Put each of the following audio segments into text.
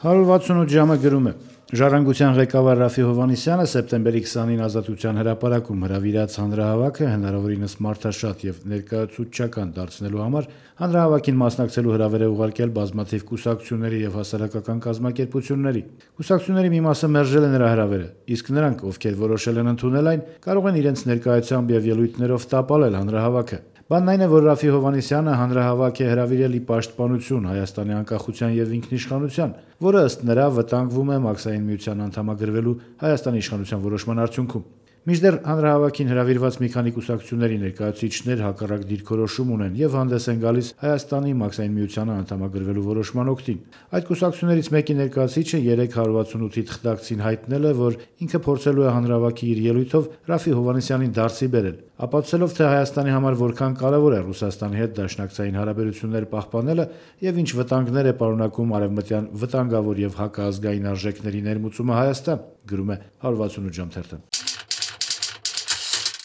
168 ժամը գրում է. Ժառանգության ղեկավար Ռաֆի Հովհաննիսյանը սեպտեմբերի 20-ին Ազատության հրապարակում հրավիրած հանրահավաքը հնարավորինս մարդաշատ եւ ներկայացուցչական դարձնելու համար հանրահավաքին մասնակցելու հրավեր է ուղարկել բազմաթիվ կուսակցությունների եւ հասարակական կազմակերպությունների։ Կուսակցությունների մի մասը մերժել է նրա հրավերը, իսկ նրանք, ովքեր որոշել են ընդունել այն, կարող են իրենց ներկայությամբ եւ ելույթներով տապալել հանրահավաքը։ Բանն այն է, որ Ռաֆի Հովհաննիսյանը հանրահավաք է հրավիրել ի պաշտպանություն Հայաստանի անկախության եւ ինքնիշխանության, որը ըստ նրա վտանգվում է Մաքսային միության անդամագրվելու Հայաստանի իշխանության որոշման արդյունքում։ Մինչդեռ հանրահավաքին հրավիրված մի քանի կուսակցությունների ներկայացուցիչներ հակառակ դիրքորոշում ունեն եւ հանդես են գալիս Հայաստանի Մաքսային միությանը անդամագրվելու որոշման օգտին։ Այդ կուսակցություններից մեկի ներկայացուցիչը 368-ի թղթակցին հայտնել է, որ ինքը փորձելու է հանրահավաքի իր ելույթով Ռաֆի Հովհաննիսյանին դարձի բերել, ապացուցելով, թե Հայաստանի համար որքան կարևոր է Ռուսաստանի հետ դաշնակցային հարաբերություններ պահպանելը եւ ինչ վտանգներ է պարունակում արևմտյան վտանգավոր եւ հակազգային արժեքների ներմուծումը Հայաստան, գրում է 168 ժամ թերթը։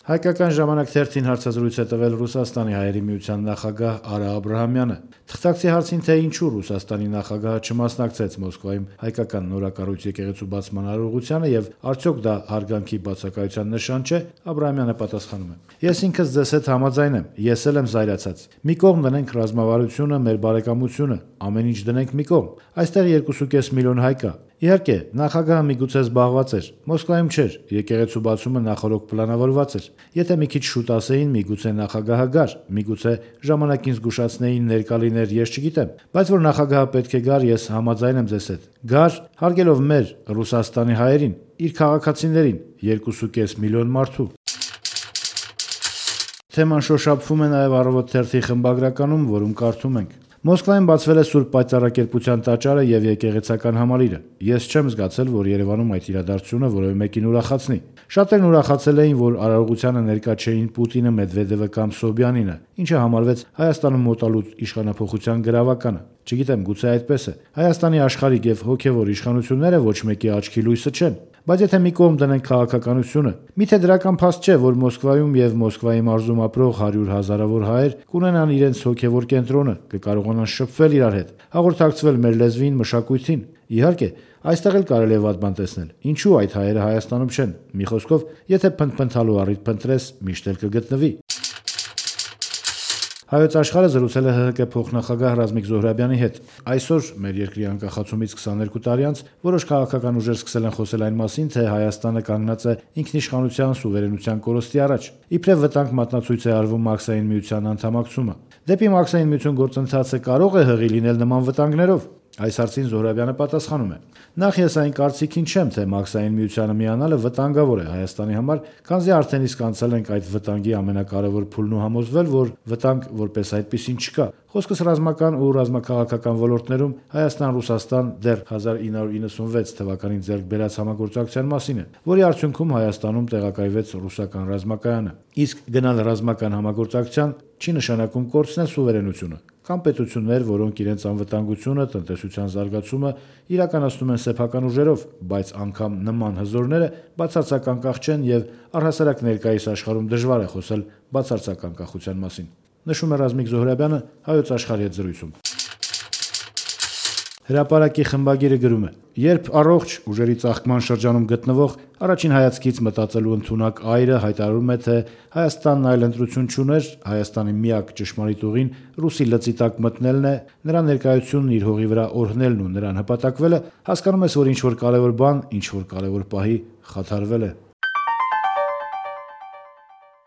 Հայկական ժամանակ թերթին հարցազրույց է տվել Ռուսաստանի հայերի միության նախագահ Արա Աբրահամյանը։ Թղթակցի հարցին, թե ինչու Ռուսաստանի նախագահը չմասնակցեց Մոսկվայում հայկական նորակառույց եկեղեցու բացման արարողությանը եւ արդյոք դա հարգանքի բացակայության նշան չէ, Աբրահամյանը պատասխանում է. Ես ինքս ձեզ հետ համաձայն եմ, ես էլ եմ զայրացած։ Մի կողմ դնենք ռազմավարությունը, մեր բարեկամությունը, ամեն ինչ դնենք մի կողմ։ Այստեղ 2.5 միլիոն հայ կա։ Իհարկե, նախագահը միգուցե զբաղված էր, Մոսկվայում չէր, եկեղեցու բացումը նախօրոք պլանավորված էր։ Եթե մի քիչ շուտ ասեին, միգուցե նախագահը գար, միգուցե ժամանակին զգուշացնեին ներկա լիներ, ես չգիտեմ, բայց որ նախագահը պետք է գար, ես համաձայն եմ ձեզ հետ։ Գար, հարգելով մեր Ռուսաստանի հայերին, իր քաղաքացիներին, 2.5 միլիոն մարդու։ Թեման շոշափվում է նաև Առավոտ թերթի խմբագրականում, որում կարդում ենք. Մոսկվայում բացվել է Սուրբ Պայծառակերպության տաճարը եւ եկեղեցական համալիրը։ Ես չեմ զգացել, որ Երևանում այդ իրադարձությունը որևէ մեկին ուրախացնի։ Շատերն ուրախացել էին, որ արարողությանը ներկա չէին Պուտինը, Մեդվեդևը կամ Սոբյանինը, ինչը համարվեց Հայաստանում մոտալուտ իշխանափոխության գրավականը։ Չգիտեմ, գուցե այդպես է։ Հայաստանի աշխարհիկ եւ հոգեվոր իշխանությունները ոչ մեկի աչքի լույսը չեն։ Բայց եթե մի կողմ դնենք քաղաքականությունը, միթե դրական փաստ չէ, որ Մոսկվայում եւ Մոսկվայի մարզում ապրող 100 հազարավոր հայեր կունենան իրենց հոգեվոր կենտրոնը, կկարողանան շփվել իրար հետ, հաղորդակցվել մեր լեզվին, մշակույթին։ Իհարկե, այստեղ էլ կարելի է վատ բան տեսնել։ Ինչու այդ հայերը Հայաստանում չեն։ Մի խոսքով, եթե փնթփնթալու առիթ փնտրես, միշտ էլ կգտնվի։ Հայոց աշխարհը զրուցել է ՀՀԿ փոխնախագահ Ռազմիկ Զոհրաբյանի հետ։ Այսօր մեր երկրի անկախացումից 22 տարի անց որոշ քաղաքական ուժեր սկսել են խոսել այն մասին, թե Հայաստանը կանգնած է ինքնիշխանության սուվերենության կորստի առաջ։ Իբրև վտանգ մատնացույց է արվում Մաքսային միության անդամակցումը։ Դեպի Մաքսային միություն գործընթացը կարող է հղի լինել նման վտանգներով։ Այս հարցին Զոհրաբյանը պատասխանում է. Նախ ես այն կարծիքին չեմ, թե Մաքսային միությանը միանալը վտանգավոր է Հայաստանի համար, քանզի արդեն իսկ անցել ենք այդ վտանգի ամենակարևոր փուլն ու համոզվել, որ վտանգ որպես այդպիսին չկա։ Խոսքս ռազմական ու ռազմաքաղաքական ոլորտներում Հայաստան-Ռուսաստան դեռ 1996 թվականին ձեռք բերած համագործակցության մասին է, որի արդյունքում Հայաստանում տեղակայվեց ռուսական ռազմակայանը։ Իսկ գնալ ռազմական համագործակցության չի նշանակում կորցնել սուվերենությունը կամ պետություններ, որոնք իրենց անվտանգությունը, տնտեսության զարգացումը իրականացնում են սեփական ուժերով, բայց անգամ նման հզորները բացարձակ անկախ չեն եւ առհասարակ ներկայիս աշխարհում դժվար է խոսել բացարձակ անկախության մասին, նշում է Ռազմիկ Զոհրաբյանը Հայոց աշխարհի հետ զրույցում։ Հրապարակի խմբագիրը գրում է. Երբ առողջ ուժերի ծաղկման շրջանում գտնվող առաջին հայացքից մտածելու ընդունակ այրը հայտարարում է, թե Հայաստանն այլ ընտրություն չուներ, Հայաստանի միակ ճշմարիտ ուղին ռուսի լծի տակ մտնելն է, նրա ներկայությունն իր հողի վրա օրհնելն ու նրան հպատակվելը, հասկանում ես, որ ինչ-որ կարևոր բան, ինչ-որ կարևոր պահի խաթարվել է։